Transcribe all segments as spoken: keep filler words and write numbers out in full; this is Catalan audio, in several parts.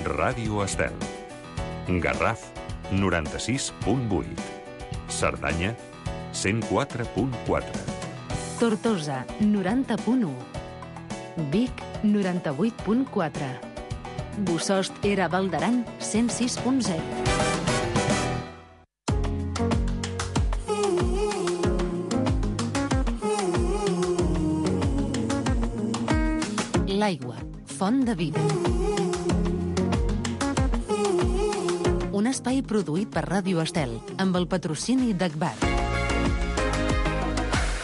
Ràdio Estel. Garraf, noranta-sis punt vuit. Cerdanya, cent quatre punt quatre. Tortosa, noranta punt u. Vic, noranta-vuit punt quatre. Bossòst Era Val d'Aran, cent sis punt zero. L'aigua, font de vida. Un espai produït per Ràdio Estel, amb el patrocini d'Agbar.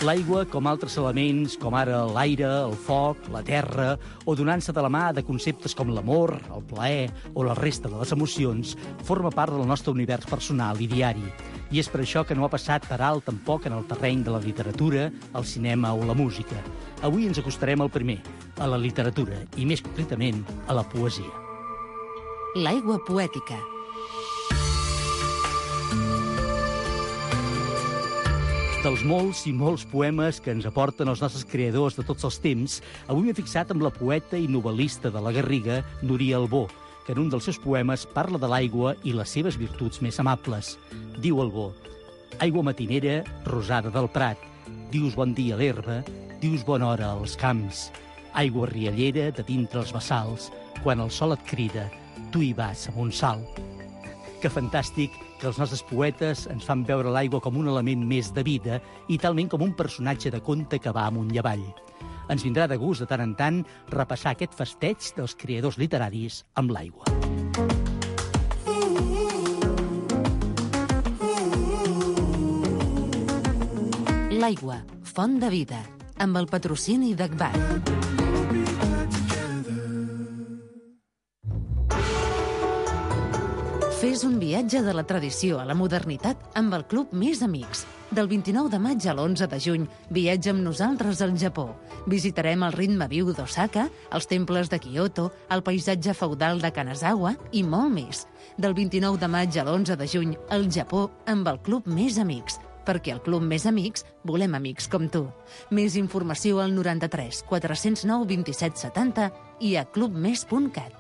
L'aigua, com altres elements, com ara l'aire, el foc, la terra, o donant-se de la mà de conceptes com l'amor, el plaer o la resta de les emocions, forma part del nostre univers personal i diari. I és per això que no ha passat per alt tampoc en el terreny de la literatura, el cinema o la música. Avui ens acostarem al primer, a la literatura, i més concretament a la poesia. L'aigua poètica. Dels molts i molts poemes que ens aporten els nostres creadors de tots els temps, avui m'he fixat amb la poeta i novel·lista de la Garriga, Núria Albó, que en un dels seus poemes parla de l'aigua i les seves virtuts més amables. Diu Albó: aigua matinera, rosada del prat, dius bon dia a l'herba, dius bona hora als camps. Aigua riallera de dintre els bassals, quan el sol et crida, tu hi vas amb un salt. Que fantàstic que els nostres poetes ens fan veure l'aigua com un element més de vida i talment com un personatge de conte que va amunt i avall. Ens vindrà de gust de tant en tant repassar aquest festeig dels creadors literaris amb l'aigua. L'aigua, font de vida, amb el patrocini d'Agbar. Fes un viatge de la tradició a la modernitat amb el Club Més Amics. Del vint-i-nou de maig a l'onze de juny, viatja amb nosaltres al Japó. Visitarem el ritme viu d'Osaka, els temples de Kyoto, el paisatge feudal de Kanazawa i molt més. Del vint-i-nou de maig a l'onze de juny, al Japó amb el Club Més Amics. Perquè al Club Més Amics volem amics com tu. Més informació al noranta-tres quatre-cents nou vint-i-set setanta i a clubmes punt cat.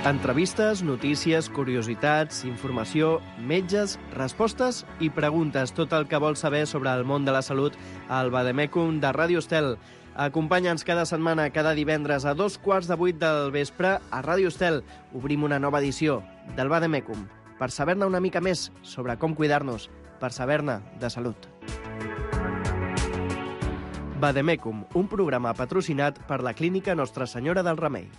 Entrevistes, notícies, curiositats, informació, metges, respostes i preguntes. Tot el que vols saber sobre el món de la salut al Vademecum de Ràdio Estel. Acompanya'ns cada setmana, cada divendres a dos quarts de vuit del vespre a Ràdio Estel. Obrim una nova edició del Vademecum per saber-ne una mica més sobre com cuidar-nos, per saber-ne de salut. Vademecum, un programa patrocinat per la Clínica Nostra Senyora del Remei.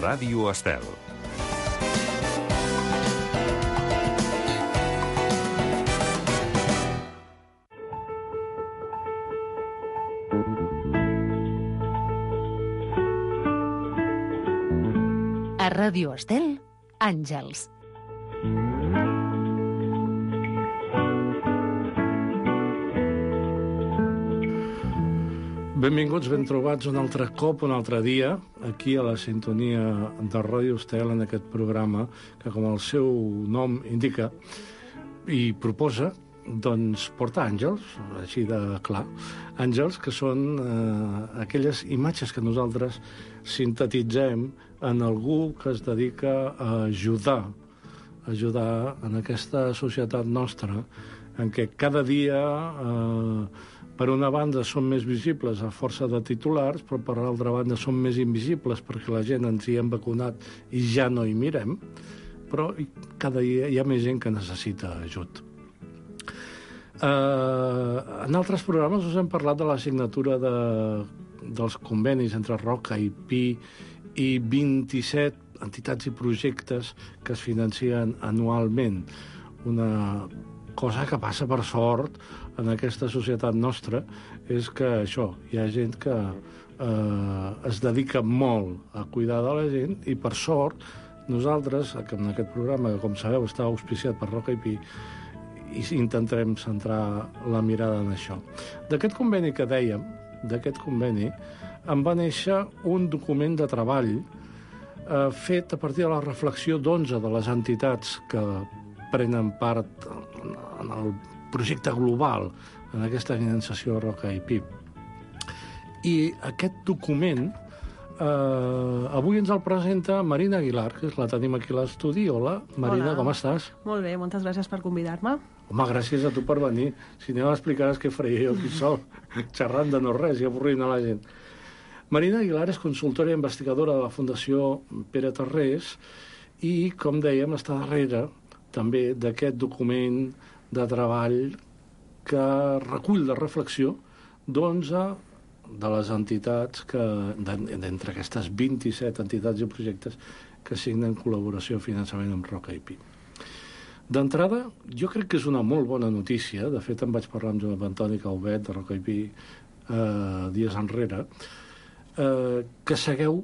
Ràdio Estel. A Ràdio Estel, Àngels. Benvinguts, ben trobats un altre cop, un altre dia, aquí a la sintonia de Ràdio Estel, en aquest programa que, com el seu nom indica i proposa, doncs porta àngels, així de clar, àngels que són eh, aquelles imatges que nosaltres sintetitzem en algú que es dedica a ajudar, ajudar en aquesta societat nostra, en què cada dia... Eh, per una banda són més visibles a força de titulars, però per l'altra banda són més invisibles perquè la gent ens hi hem vacunat i ja no hi mirem, però cada dia hi ha més gent que necessita ajut. Uh, en altres programes us hem parlat de la signatura de, dels convenis entre Roca i Pi i vint-i-set entitats i projectes que es financen anualment. Una cosa que passa per sort en aquesta societat nostra és que això, hi ha gent que eh, es dedica molt a cuidar de la gent i per sort nosaltres, en aquest programa que com sabeu està auspiciat per Roca i Pi, i intentarem centrar la mirada en això. D'aquest conveni que dèiem, d'aquest conveni, en va néixer un document de treball eh, fet a partir de la reflexió d'onze de les entitats que prenen part en el projecte global, en aquesta organització Roca i Pi. I aquest document eh, avui ens el presenta Marina Aguilar, que la tenim aquí a l'estudi. Hola, Marina, Hola. Com estàs? Molt bé, moltes gràcies per convidar-me. Home, gràcies a tu per venir. Si no m'explicaràs què faria jo aquí sol, xerrant de no res i avorrint a la gent. Marina Aguilar és consultora i investigadora de la Fundació Pere Tarrés i, com dèiem, està darrere també d'aquest document de treball que recull la reflexió d'onze de les entitats, que d'entre aquestes vint-i-set entitats i projectes que signen col·laboració i finançament amb Roca i Pi. D'entrada, jo crec que és una molt bona notícia. De fet, em vaig parlar amb Joan Antoni Calvet de Roca i Pi eh, dies enrere, eh, que segueu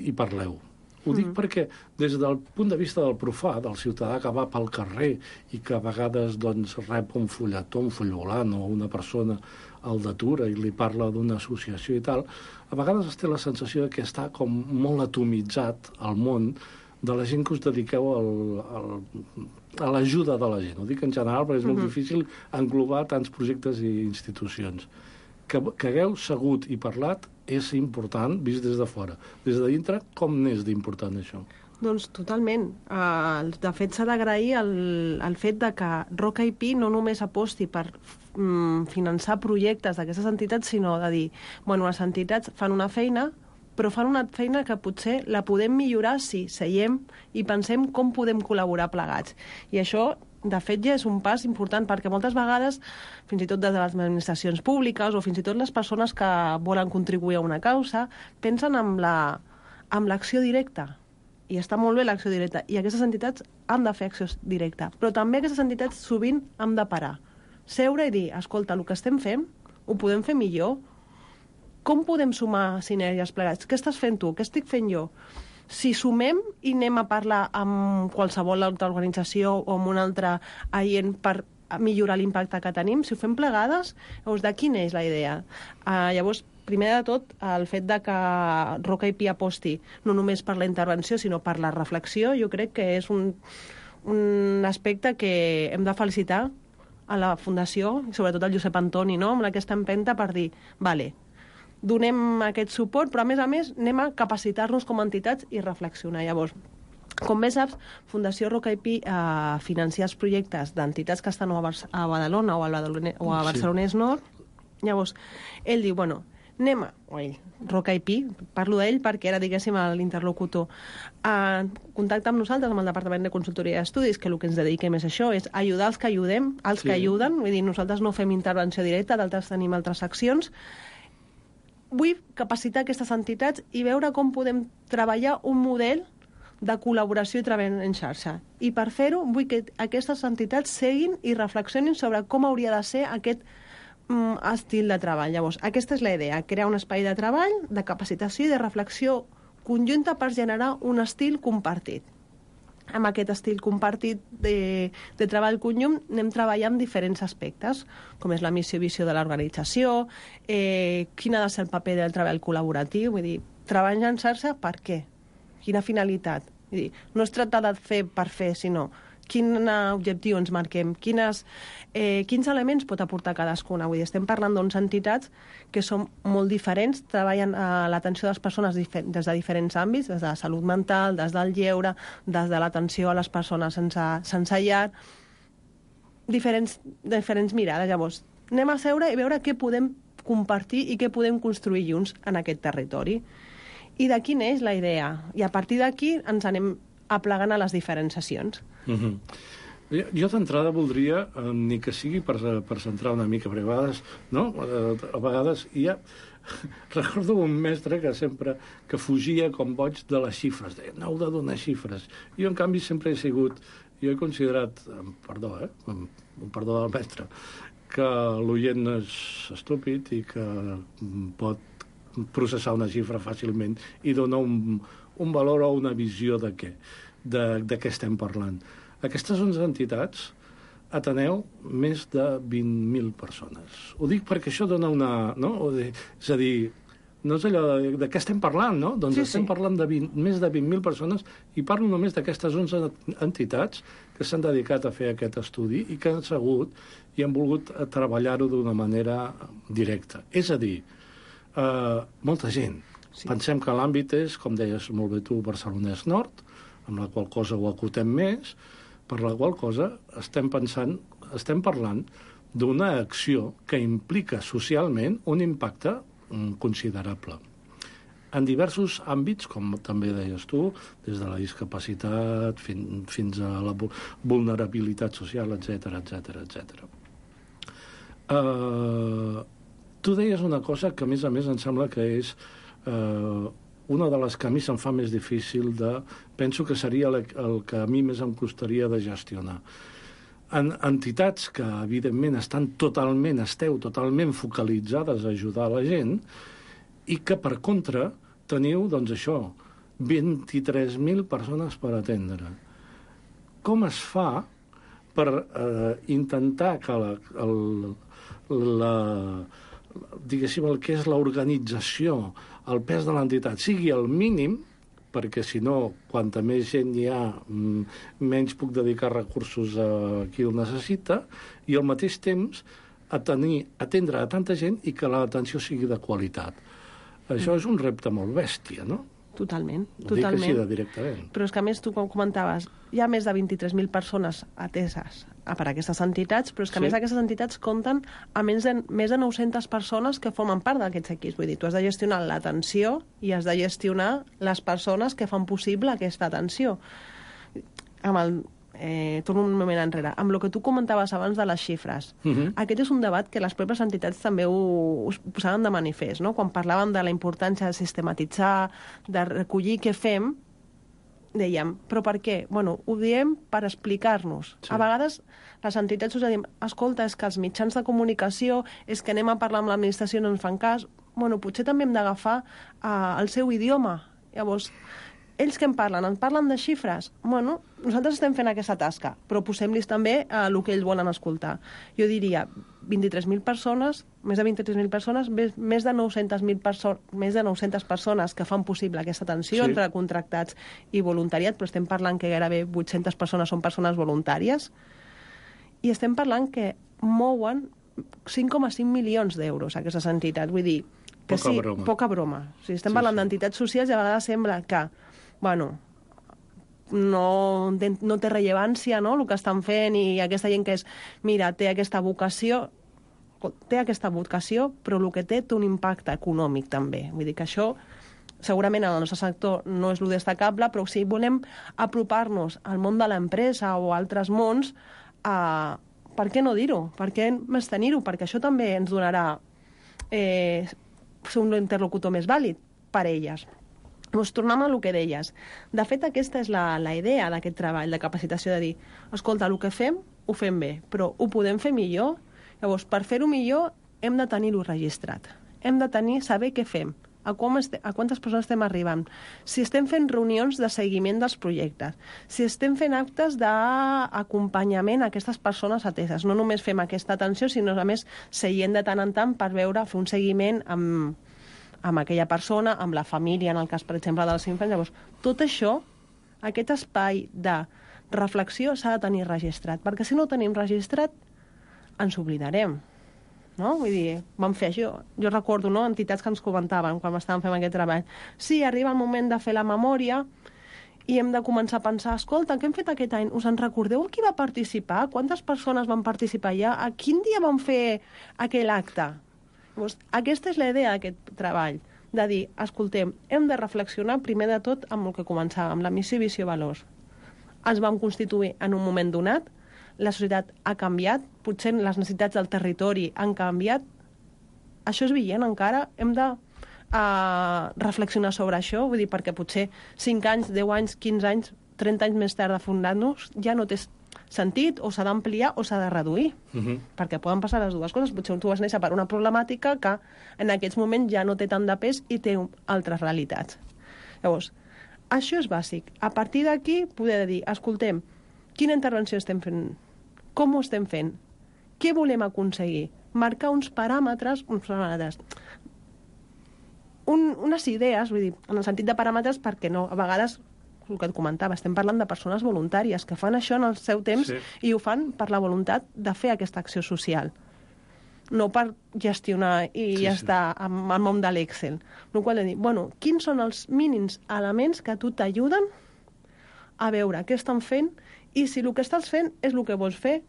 i parleu. Ho dic mm. perquè des del punt de vista del profà, del ciutadà que va pel carrer i que a vegades doncs, rep un fulletó, un full volant o una persona al d'atura i li parla d'una associació i tal, a vegades es té la sensació que està com molt atomitzat al món de la gent que us dediqueu al, al, a l'ajuda de la gent. Ho dic en general perquè és molt mm-hmm. difícil englobar tants projectes i institucions. Que, que hagueu segut i parlat és important, vist des de fora. Des de dintre, com n'és d'important això? Doncs totalment. Uh, de fet, s'ha d'agrair el, el fet de que Roca i Pi no només aposti per um, finançar projectes d'aquestes entitats, sinó de dir, bueno, les entitats fan una feina, però fan una feina que potser la podem millorar si seiem i pensem com podem col·laborar plegats. I això, de fet, ja és un pas important, perquè moltes vegades, fins i tot des de les administracions públiques o fins i tot les persones que volen contribuir a una causa, pensen en la, en l'acció directa. I està molt bé l'acció directa. I aquestes entitats han de fer acció directa. Però també aquestes entitats sovint han de parar. Seure i dir, escolta, el que estem fent ho podem fer millor. Com podem sumar sinergies plegats? Què estàs fent tu? Què estic fent jo? Si sumem i anem a parlar amb qualsevol altra organització o amb un altre agent per millorar l'impacte que tenim, si ho fem plegades, llavors de quina és la idea? Uh, llavors, primer de tot, el fet de que Roca i Pi aposti no només per la intervenció, sinó per la reflexió, jo crec que és un, un aspecte que hem de felicitar a la Fundació, i sobretot al Josep Antoni, no? Amb aquesta empenta per dir, vale, donem aquest suport, però a més a més anem a capacitar-nos com a entitats i reflexionar. Llavors, com bé saps, Fundació Roca i Pi eh, financia els projectes d'entitats que estan a, Bar a Badalona o a, Badalone o a Barcelonès Nord. Llavors, ell diu, bueno, anem a... O ell, Roca i Pi, parlo d'ell perquè era, diguéssim, l'interlocutor. Eh, contacta amb nosaltres, amb el Departament de Consultoria i Estudis, que el que ens dediquem és això, és ajudar els que ajudem, els sí. que ajuden. Vull dir, nosaltres no fem intervenció directa, d'altres tenim altres accions. Vull capacitar aquestes entitats i veure com podem treballar un model de col·laboració i treball en xarxa. I per fer-ho vull que aquestes entitats seguin i reflexionin sobre com hauria de ser aquest mm, estil de treball. Llavors, aquesta és la idea, crear un espai de treball, de capacitació i de reflexió conjunta per generar un estil compartit. Amb aquest estil compartit de, de treball conjunt anem treballant diferents aspectes, com és la missió i visió de l'organització, eh, quin ha de ser el paper del treball col·laboratiu, vull dir, treball en xarxa per què? Quina finalitat? Vull dir, no es tracta de fer per fer, sinó quin objectiu ens marquem, quines, eh, quins elements pot aportar cadascuna. Vull dir, estem parlant d'unes entitats que són molt diferents, treballen a l'atenció de les persones des de diferents àmbits, des de la salut mental, des del lleure, des de l'atenció a les persones sense, sense llar, diferents, diferents mirades. Llavors, anem a seure i veure què podem compartir i què podem construir junts en aquest territori. I de quina és la idea? I a partir d'aquí ens anem aplegant a les diferents sessions. Mm-hmm. Jo, jo d'entrada voldria, eh, ni que sigui per, per centrar una mica, perquè a vegades, no? A vegades hi ha... Recordo un mestre que sempre que fugia com boig de les xifres, deia, no heu de donar xifres. Jo, en canvi, sempre he sigut, jo he considerat, perdó, eh? Un perdó del mestre, que l'oient no és estúpid i que pot processar una xifra fàcilment i donar un, un valor o una visió de què, de, de què estem parlant. Aquestes onze entitats ateneu més de vint mil persones. Ho dic perquè això dona una... No? És a dir, no és allò de, de què estem parlant, no? Doncs Sí, estem sí. parlant de vint, més de vint mil persones i parlo només d'aquestes onze entitats que s'han dedicat a fer aquest estudi i que han segut i han volgut treballar-ho d'una manera directa. És a dir, eh, molta gent. Sí. Pensem que l'àmbit és, com deies molt bé tu, Barcelonès Nord, amb la qual cosa ho acotem més, per la qual cosa estem pensant, estem parlant d'una acció que implica socialment un impacte mm, considerable. En diversos àmbits, com també deies tu, des de la discapacitat fin, fins a la vulnerabilitat social, etcètera, etcètera, etcètera. Uh, tu deies una cosa que, a més a més, em sembla que és uh, una de les que a mi se'm fa més difícil de... Penso que seria el, el que a mi més em costaria de gestionar. En entitats que, evidentment, estan totalment, esteu totalment focalitzades a ajudar la gent i que, per contra, teniu, doncs això, vint-i-tres mil persones per atendre. Com es fa per eh, intentar que la, el, la, diguéssim, el que és l'organització, el pes de l'entitat sigui el mínim, perquè si no, quanta més gent hi ha, menys puc dedicar recursos a qui el necessita, i al mateix temps a tenir, atendre a tanta gent i que l'atenció sigui de qualitat. Això és un repte molt bèstia, no? Totalment, Ho dic totalment. així de directament. Però és que, a més, tu com comentaves, hi ha més de vint-i-tres mil persones ateses per aquestes entitats, però és que, a Sí. més, aquestes entitats compten a més de, més de nou-centes persones que formen part d'aquests equips. Vull dir, tu has de gestionar l'atenció i has de gestionar les persones que fan possible aquesta atenció. Amb el... Eh, torno un moment enrere. Amb el que tu comentaves abans de les xifres, Uh -huh. aquest és un debat que les pròpies entitats també ho, ho posaven de manifest, no? Quan parlàvem de la importància de sistematitzar, de recollir què fem, dèiem, però per què? Bueno, ho diem per explicar-nos. Sí. A vegades les entitats us diem, escolta, és que els mitjans de comunicació, és que anem a parlar amb l'administració i no ens fan cas. Bueno, potser també hem d'agafar uh, el seu idioma. Llavors, ells que en parlen? En parlen de xifres? Bueno, nosaltres estem fent aquesta tasca, però posem-los també a el que ells volen escoltar. Jo diria, vint-i-tres mil persones, més de vint-i-tres mil persones, més, més de nou-centes mil perso més de nou-centes persones que fan possible aquesta atenció Sí. entre contractats i voluntariat, però estem parlant que gairebé vuit-centes persones són persones voluntàries, i estem parlant que mouen cinc coma cinc milions d'euros aquestes entitats. Vull dir, que Poca sí, broma. poca broma. O sigui, estem Sí, parlant sí. d'entitats socials i a vegades sembla que, bueno, no, no té rellevància, no?, el que estan fent, i aquesta gent que és, mira, té aquesta vocació, té aquesta vocació, però el que té té un impacte econòmic també. Vull dir que això, segurament en el nostre sector no és lo destacable, però si volem apropar-nos al món de l'empresa o a altres mons, eh, per què no dir-ho? Per què més tenir-ho? Perquè això també ens donarà eh, ser un interlocutor més vàlid per elles. Doncs tornem a el que deies. De fet, aquesta és la, la idea d'aquest treball de capacitació, de dir, escolta, el que fem, ho fem bé, però ho podem fer millor? Llavors, per fer-ho millor, hem de tenir-ho registrat. Hem de tenir, saber què fem, a, com este, a quantes persones estem arribant, si estem fent reunions de seguiment dels projectes, si estem fent actes d'acompanyament a aquestes persones ateses. No només fem aquesta atenció, sinó a més seient de tant en tant per veure, fer un seguiment amb, amb aquella persona, amb la família, en el cas, per exemple, dels infants. Llavors, tot això, aquest espai de reflexió s'ha de tenir registrat, perquè si no ho tenim registrat, ens oblidarem. No? Vull dir, vam fer això. Jo recordo, no?, entitats que ens comentaven quan estàvem fent aquest treball. Sí, arriba el moment de fer la memòria i hem de començar a pensar, escolta, què hem fet aquest any? Us en recordeu qui va participar? Quantes persones van participar ja? A quin dia vam fer aquell acte? Llavors, aquesta és la idea d'aquest treball, de dir, escoltem, hem de reflexionar primer de tot amb el que començàvem, la missió, visió, valors. Ens vam constituir en un moment donat, la societat ha canviat, potser les necessitats del territori han canviat, això és vigent encara, hem de uh, reflexionar sobre això, vull dir, perquè potser cinc anys, deu anys, quinze anys, trenta anys més tard de fundar-nos, ja no té sentit, o s'ha d'ampliar o s'ha de reduir, Uh -huh. perquè poden passar les dues coses. Potser tu vas néixer per una problemàtica que en aquests moments ja no té tant de pes i té altres realitats. Llavors, això és bàsic. A partir d'aquí, poder dir, escoltem, quina intervenció estem fent? Com ho estem fent? Què volem aconseguir? Marcar uns paràmetres, uns paràmetres. un, unes idees, vull dir, en el sentit de paràmetres, perquè no, a vegades, el que et comentava, estem parlant de persones voluntàries que fan això en el seu temps sí. i ho fan per la voluntat de fer aquesta acció social, no per gestionar i sí, ja sí. està amb el món de l'Excel. No qual de dir, bueno, quins són els mínims elements que a tu t'ajuden a veure què estan fent i si el que estàs fent és el que vols fer,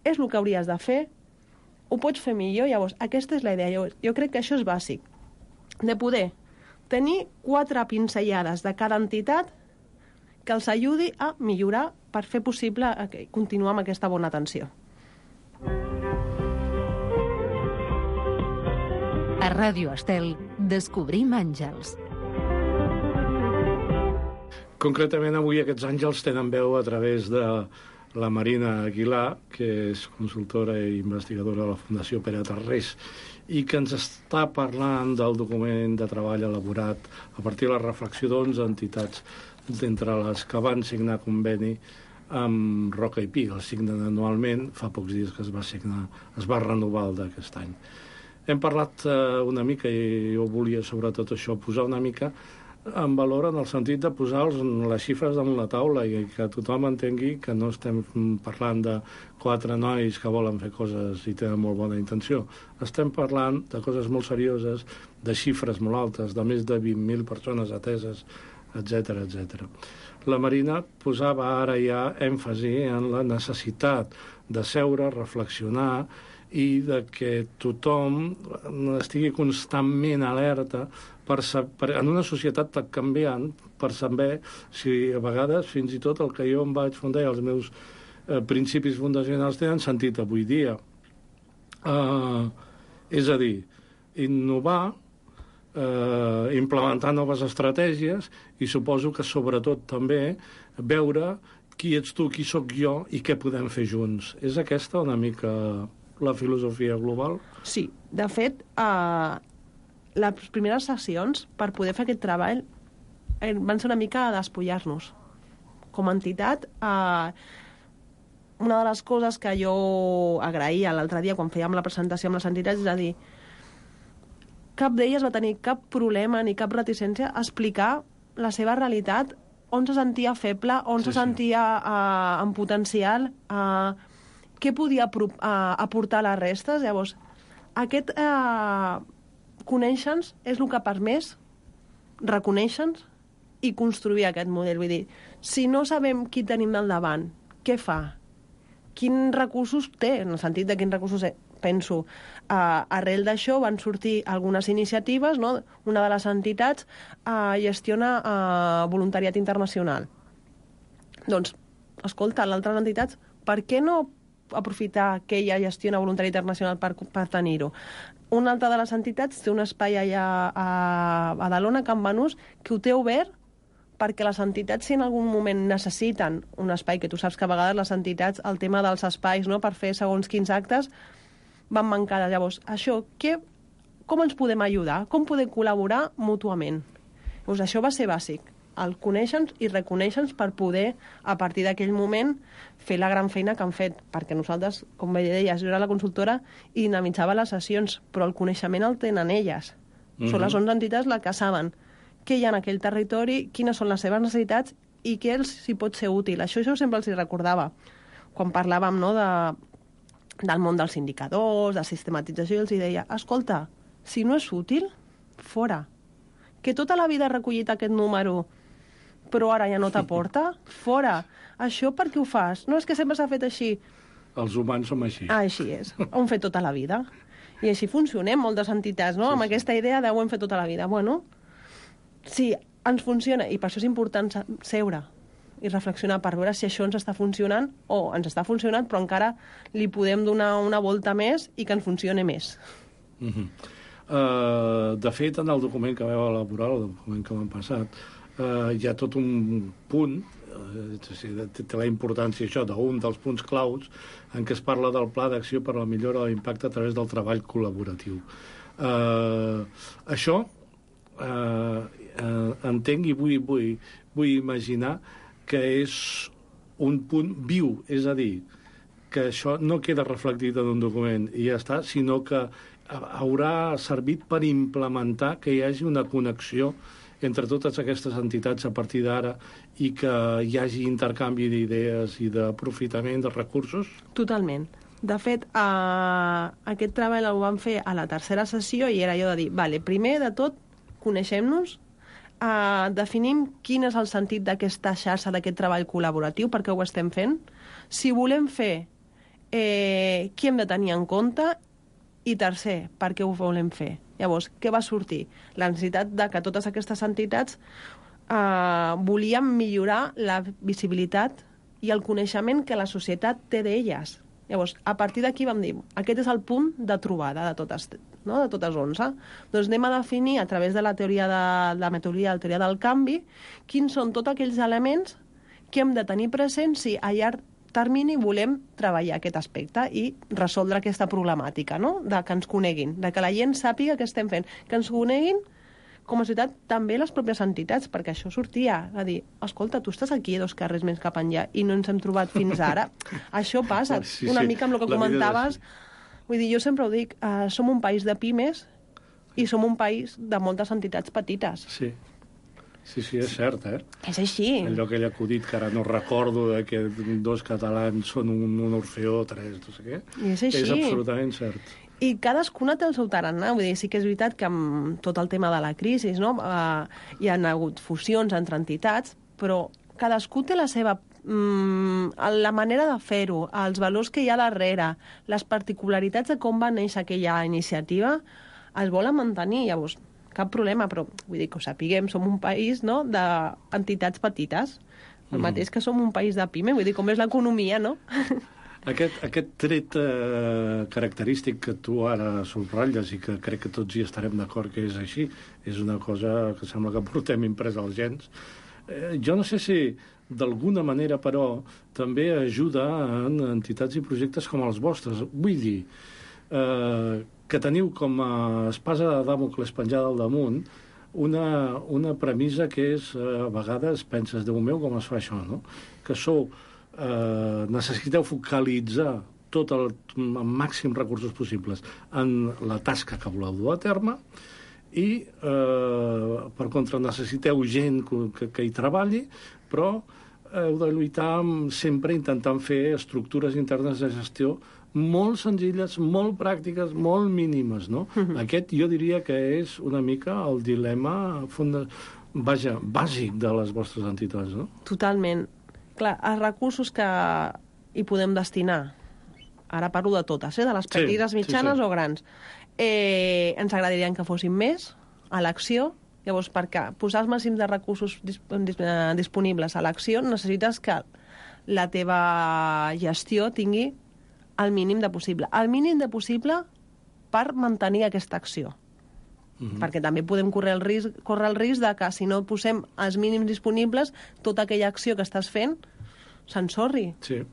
és el que hauries de fer, ho pots fer millor. Llavors, aquesta és la idea. Llavors, jo crec que això és bàsic, de poder tenir quatre pinzellades de cada entitat que els ajudi a millorar per fer possible continuar amb aquesta bona atenció. A Ràdio Estel, descobrim àngels. Concretament, avui aquests àngels tenen veu a través de la Marina Aguilar, que és consultora i investigadora de la Fundació Pere Tarrés, i que ens està parlant del document de treball elaborat a partir de la reflexió d'onze entitats, d'entre les que van signar conveni amb Roca i Pi. El signen anualment, fa pocs dies que es va signar, es va renovar el d'aquest any. Hem parlat eh, una mica, i jo volia sobretot això, posar una mica en valor en el sentit de posar les xifres damunt la taula i que tothom entengui que no estem parlant de quatre nois que volen fer coses i tenen molt bona intenció. Estem parlant de coses molt serioses, de xifres molt altes, de més de vint mil persones ateses, etcètera, etcètera. La Marina posava ara ja èmfasi en la necessitat de seure, reflexionar i de que tothom estigui constantment alerta per, per, en una societat tan canviant, per saber si a vegades fins i tot el que jo em vaig fundar i els meus eh, principis fundacionals tenen sentit avui dia. Uh, és a dir, innovar, eh, implementar noves estratègies i suposo que sobretot també veure qui ets tu, qui sóc jo i què podem fer junts. És aquesta una mica la filosofia global? Sí, de fet, eh, les primeres sessions per poder fer aquest treball eh, van ser una mica a despullar-nos. Com a entitat, eh, una de les coses que jo agraïa l'altre dia quan fèiem la presentació amb les entitats és a dir, cap d'elles va tenir cap problema ni cap reticència a explicar la seva realitat, on se sentia feble, on sí, se sentia uh, en potencial, uh, què podia uh, aportar a les restes. Llavors, aquest uh, conèixer-nos és el que ha permès reconèixer-nos i construir aquest model. Vull dir, si no sabem qui tenim al davant, què fa? Quins recursos té? En el sentit de quins recursos penso. Uh, arrel d'això van sortir algunes iniciatives, no? Una de les entitats uh, gestiona uh, voluntariat internacional. Doncs, escolta, l'altres entitats, per què no aprofitar que ella gestiona voluntariat internacional per, per tenir-ho? Una altra de les entitats té un espai allà a Badalona, a Can Banús, que ho té obert perquè les entitats, si en algun moment necessiten un espai, que tu saps que a vegades les entitats, el tema dels espais, no?, per fer segons quins actes, van mancades. Llavors, això, què, com ens podem ajudar? Com podem col·laborar mútuament? Llavors, això va ser bàsic, el conèixer-nos i reconèixer-nos per poder, a partir d'aquell moment, fer la gran feina que han fet, perquè nosaltres, com bé deies, jo era la consultora i dinamitzava les sessions, però el coneixement el tenen elles. Mm-hmm. Són les onze entitats les que saben què hi ha en aquell territori, quines són les seves necessitats i què els hi pot ser útil. Això, això sempre els hi recordava. Quan parlàvem, no, de, del món dels indicadors, de sistematització, els hi deia, escolta, si no és útil, fora. Que tota la vida he recollit aquest número, però ara ja no t'aporta, fora. Això per què ho fas? No, és que sempre s'ha fet així. Els humans som així. Ah, així és. Ho hem fet tota la vida. I així funcionem moltes entitats, no? Sí, amb sí. Aquesta idea de ho hem fet tota la vida. Bueno, sí, ens funciona, i per això és important seure i reflexionar per veure si això ens està funcionant o ens està funcionant, però encara li podem donar una volta més i que ens funcioni més. Uh-huh. uh, de fet, en el document que vau elaborar, el document que m'han passat, uh, hi ha tot un punt, uh, té la importància això d'un dels punts claus en què es parla del pla d'acció per a la millora de l'impacte a través del treball col·laboratiu. Uh, això uh, uh, entenc i vull, vull, vull imaginar que és un punt viu, és a dir, que això no queda reflectit en un document i ja està, sinó que haurà servit per implementar que hi hagi una connexió entre totes aquestes entitats a partir d'ara i que hi hagi intercanvi d'idees i d'aprofitament de recursos? Totalment. De fet, eh, aquest treball el vam fer a la tercera sessió i era allò de dir, vale, primer de tot, coneixem-nos, eh, definim quin és el sentit d'aquesta xarxa, d'aquest treball col·laboratiu, per què ho estem fent. Si volem fer, eh, què hem de tenir en compte, i tercer, per què ho volem fer. Llavors, què va sortir? La necessitat de que totes aquestes entitats eh, volien millorar la visibilitat i el coneixement que la societat té d'elles. Llavors, a partir d'aquí vam dir, aquest és el punt de trobada de totes, no? de totes onze. Doncs anem a definir, a través de la teoria de la metodologia, la teoria del canvi, quins són tots aquells elements que hem de tenir presents si a llarg termini volem treballar aquest aspecte i resoldre aquesta problemàtica, no? De que ens coneguin, de que la gent sàpiga què estem fent, que ens coneguin com a societat també les pròpies entitats, perquè això sortia a dir, escolta, tu estàs aquí dos carrers més cap enllà i no ens hem trobat fins ara. Això passa, sí, una sí, mica amb el que la comentaves. Vull dir, jo sempre ho dic, uh, som un país de pimes i som un país de moltes entitats petites. Sí. Sí, sí, és cert, eh? És així. Allò que ell ha acudit, que ara no recordo, de que dos catalans són un, un orfeó, tres, no sé què. I és així. És absolutament cert. I cadascuna té el seu tarannà. Vull dir, sí que és veritat que amb tot el tema de la crisi, no? Uh, hi ha hagut fusions entre entitats, però cadascú té la seva... Mm, la manera de fer-ho, els valors que hi ha darrere, les particularitats de com va néixer aquella iniciativa, es volen mantenir. Llavors, cap problema, però vull dir que ho sapiguem, som un país, no?, d'entitats petites, el Mm. mateix que som un país de pime, vull dir, com és l'economia, no? Aquest, aquest tret eh, característic que tu ara subratlles i que crec que tots hi estarem d'acord que és així, és una cosa que sembla que portem impresa als gens. Eh, jo no sé si d'alguna manera, però, també ajuda en entitats i projectes com els vostres. Vull dir, eh, que teniu com a espasa de Dàmocles penjada al damunt una, una premissa que és, eh, a vegades penses, Déu meu, com es fa això, no? Que sou, eh, necessiteu focalitzar tot el, el màxim recursos possibles en la tasca que voleu dur a terme i, eh, per contra, necessiteu gent que, que hi treballi, però heu de lluitar amb, sempre intentant fer estructures internes de gestió molt senzilles, molt pràctiques, molt mínimes, no? Uh-huh. Aquest jo diria que és una mica el dilema funda... vaja, bàsic de les vostres entitats, no? Totalment. Clar, els recursos que hi podem destinar, ara parlo de totes, eh? De les petites, sí, mitjanes sí, sí. o grans, eh, ens agradaria que fossin més a l'acció. Llavors, perquè posar els màxims de recursos dis dis disponibles a l'acció necessites que la teva gestió tingui el mínim de possible. El mínim de possible per mantenir aquesta acció. Uh-huh. Perquè també podem córrer el risc, córrer el risc de que si no posem els mínims disponibles, tota aquella acció que estàs fent s'ensorri. Sí.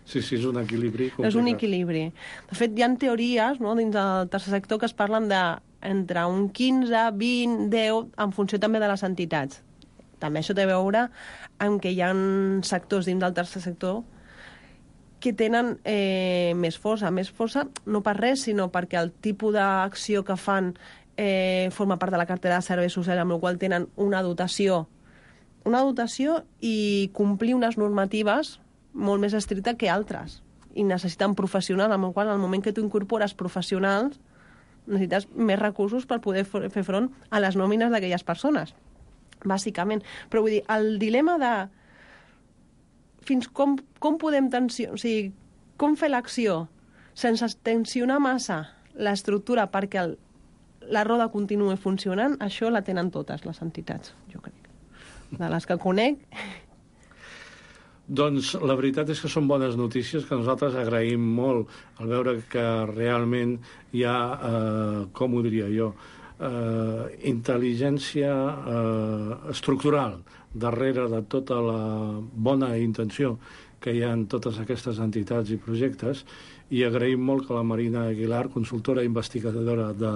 Sí, sí, és un equilibri complicat. És un equilibri. De fet, hi ha teories, no, dins del tercer sector que es parlen de entre un quinze, vint, deu, en funció també de les entitats. També això té a veure amb que hi ha sectors dins del tercer sector que tenen eh, més força. Més força no per res, sinó perquè el tipus d'acció que fan eh, forma part de la cartera de serveis socials, amb la qual tenen una dotació, una dotació i complir unes normatives molt més estrictes que altres. I necessiten professionals, amb el qual, en el moment que tu incorpores professionals, necessites més recursos per poder fer front a les nòmines d'aquelles persones, bàsicament. Però vull dir, el dilema de fins com, com podem tensionar, o sigui, com fer l'acció sense tensionar massa l'estructura perquè el, la roda continuï funcionant, això la tenen totes les entitats, jo crec. De les que conec... Doncs la veritat és que són bones notícies que nosaltres agraïm molt al veure que realment hi ha, eh, com ho diria jo, eh, intel·ligència eh, estructural darrere de tota la bona intenció que hi ha en totes aquestes entitats i projectes, i agraïm molt que la Marina Aguilar, consultora i investigadora de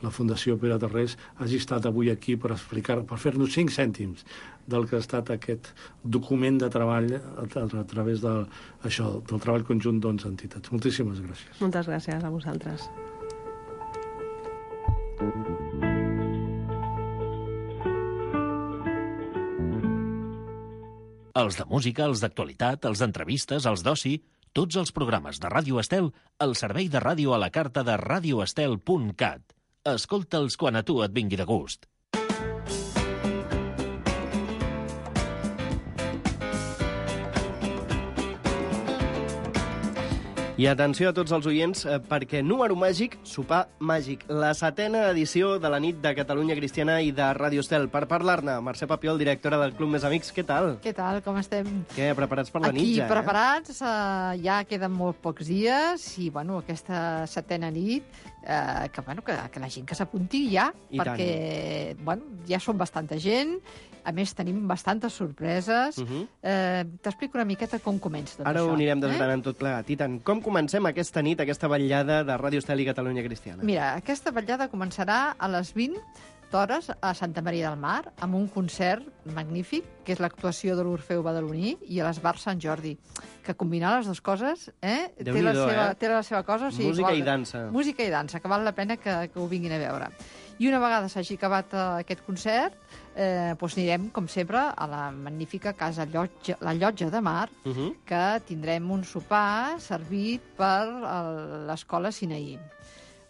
la Fundació Pere Tarrés, hagi estat avui aquí per explicar, per fer-nos cinc cèntims del que ha estat aquest document de treball a, a través de, això, del treball conjunt d'onze entitats. Moltíssimes gràcies. Moltes gràcies a vosaltres. Els de música, els d'actualitat, els d'entrevistes, els d'oci... Tots els programes de Ràdio Estel al servei de ràdio a la carta de radioestel punt cat. Escolta'ls quan a tu et vingui de gust. I atenció a tots els oients, eh, perquè número màgic, sopar màgic. La setena edició de la nit de Catalunya Cristiana i de Ràdio Estel. Per parlar-ne, Mercè Papiol, directora del Club Més Amics. Què tal? Què tal, com estem? Què, preparats per la nit Aquí, ja? preparats, eh? Uh, ja queden molt pocs dies i, bueno, aquesta setena nit, uh, que, bueno, que, que la gent que s'apunti ja, I perquè, tant. bueno, ja som bastanta gent, a més tenim bastantes sorpreses. Uh -huh. uh, T'explico una miqueta com comença tot Ara això. ho anirem desgranant eh? tot plegat. I tant, com comencem aquesta nit, aquesta vetllada de Ràdio Estel i Catalunya Cristiana? Mira, aquesta vetllada començarà a les vint hores a Santa Maria del Mar, amb un concert magnífic, que és l'actuació de l'Orfeu Badaloní, i a l'Esbar Sant Jordi, que combinar les dues coses eh, té, la seva, eh? té la seva cosa. O sigui, Música igual, i dansa. Música i dansa, que val la pena que, que ho vinguin a veure. I una vegada s'hagi acabat uh, aquest concert, eh, doncs anirem, com sempre, a la magnífica casa Llotja, la Llotja de Mar, Uh -huh. que tindrem un sopar servit per uh, l'escola Sinaí.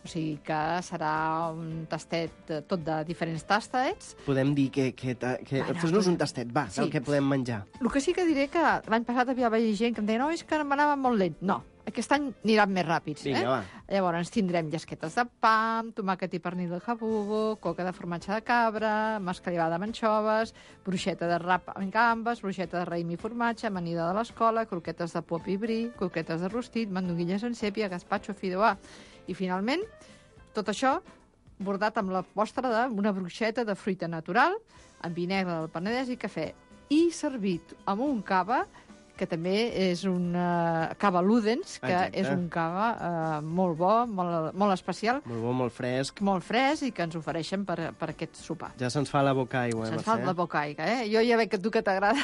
O sigui que serà un tastet de, tot de diferents tastets. Podem dir que... que, que Bueno, fes-nos podem- un tastet, va, Sí. del que podem menjar. El que sí que diré que l'any passat havia haver gent que em deia no, és que m'anava molt lent. No, aquest any aniran més ràpids. Vinga, eh? va. Llavors tindrem llesquetes de pa, tomàquet i pernil de jabugo, coca de formatge de cabra, mascalivada amb anxoves, bruixeta de rap amb gambes, bruixeta de raïm i formatge, amanida de l'escola, croquetes de pop i bri, croquetes de rostit, mandonguilles en sèpia, gazpacho, fideuà. I finalment, tot això bordat amb la postre d'una bruixeta de fruita natural, amb vi negre del Penedès i cafè, i servit amb un cava, que també és un uh, cava Ludens, que Exacte. és un cava uh, molt bo, molt, molt especial, Molt bo, molt fresc. molt fresc i que ens ofereixen per, per aquest sopar. Ja se'ns fa la boca aigua, Se'ns Mercè. fa la boca aigua, eh? Jo ja veig que a tu que t'agrada.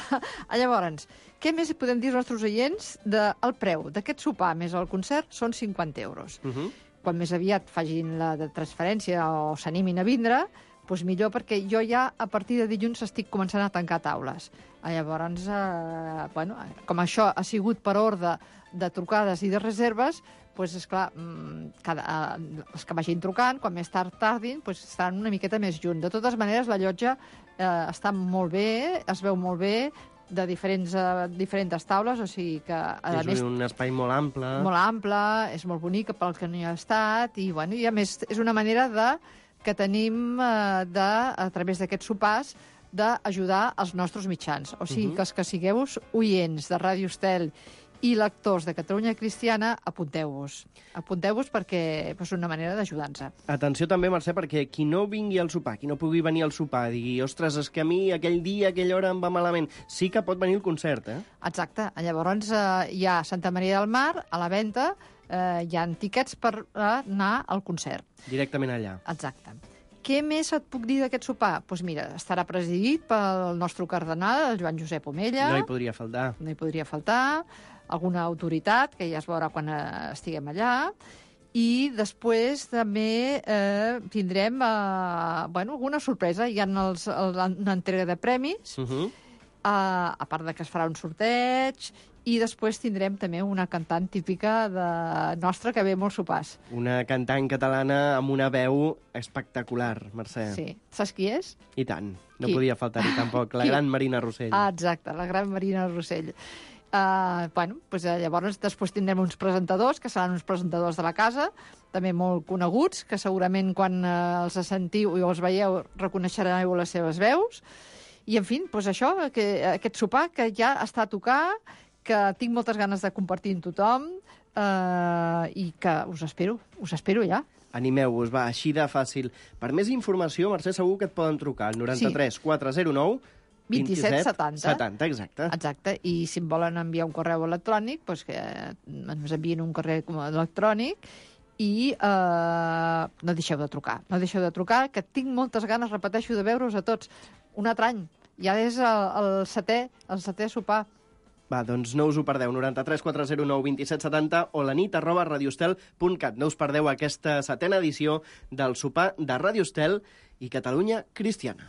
Llavors, què més podem dir als nostres oients? De, el preu d'aquest sopar més el concert són cinquanta euros. Uh -huh. Quan més aviat facin la de transferència o s'animin a vindre, doncs millor, perquè jo ja a partir de dilluns estic començant a tancar taules. Llavors, eh, bueno, com això ha sigut per ordre de trucades i de reserves, doncs, esclar, cada, eh, els que vagin trucant, quan més tard tardin, doncs estaran una miqueta més junt. De totes maneres, la llotja eh, està molt bé, es veu molt bé, de diferents, uh, diferents taules, o sigui que, a És més, un espai molt ample. molt ample, és molt bonica pel que no hi ha estat, i, bueno, i a més és una manera de, que tenim uh, de, a través d'aquests sopars, d'ajudar els nostres mitjans. O sigui, Mhm. que els que sigueu oients de Ràdio Estel i lectors de Catalunya Cristiana, apunteu-vos. Apunteu-vos perquè és una manera d'ajudar-nos. Atenció també, Mercè, perquè qui no vingui al sopar, qui no pugui venir al sopar, digui, ostres, és que a mi aquell dia, aquella hora em va malament, sí que pot venir el concert, eh? Exacte. Llavors eh, hi ha Santa Maria del Mar, a la venda, eh, hi ha tiquets per eh, anar al concert. Directament allà. Exacte. Què més et puc dir d'aquest sopar? Doncs pues mira, estarà presidit pel nostre cardenal, el Joan Josep Omella. No hi podria faltar. No hi podria faltar. Alguna autoritat, que ja es veurà quan eh, estiguem allà. I després també eh, tindrem eh, bueno, alguna sorpresa. Hi ha els, el, una entrega de premis, Uh -huh. eh, a part de que es farà un sorteig, i després tindrem també una cantant típica de nostra que ve molts sopars. Una cantant catalana amb una veu espectacular, Mercè. Sí. Saps qui és? I tant. No Qui? podia faltar-hi tampoc. La Qui? gran Marina Rossell. Ah, exacte, la gran Marina Rossell. Uh, bueno, doncs, uh, llavors després tindrem uns presentadors, que seran uns presentadors de la casa, també molt coneguts, que segurament quan uh, els sentiu i els veieu reconeixereu les seves veus. I, en fi, doncs això, que, aquest sopar que ja està a tocar, que tinc moltes ganes de compartir amb tothom uh, i que us espero, us espero ja. Animeu-vos, va, així de fàcil. Per més informació, Mercè, segur que et poden trucar al noranta-tres Sí. quatre zero nou vint-i-set setanta. setanta, exacte. Exacte, i si em volen enviar un correu electrònic, doncs que ens envien un correu electrònic i eh, no deixeu de trucar. No deixeu de trucar, que tinc moltes ganes, repeteixo, de veure-us a tots. Un altre any. Ja és el, el setè, el setè sopar. Va, doncs no us ho perdeu. noranta-tres quatre zero nou vint-i-set setanta o la nit arroba radiostel punt cat. No us perdeu aquesta setena edició del sopar de Ràdio Estel i Catalunya Cristiana.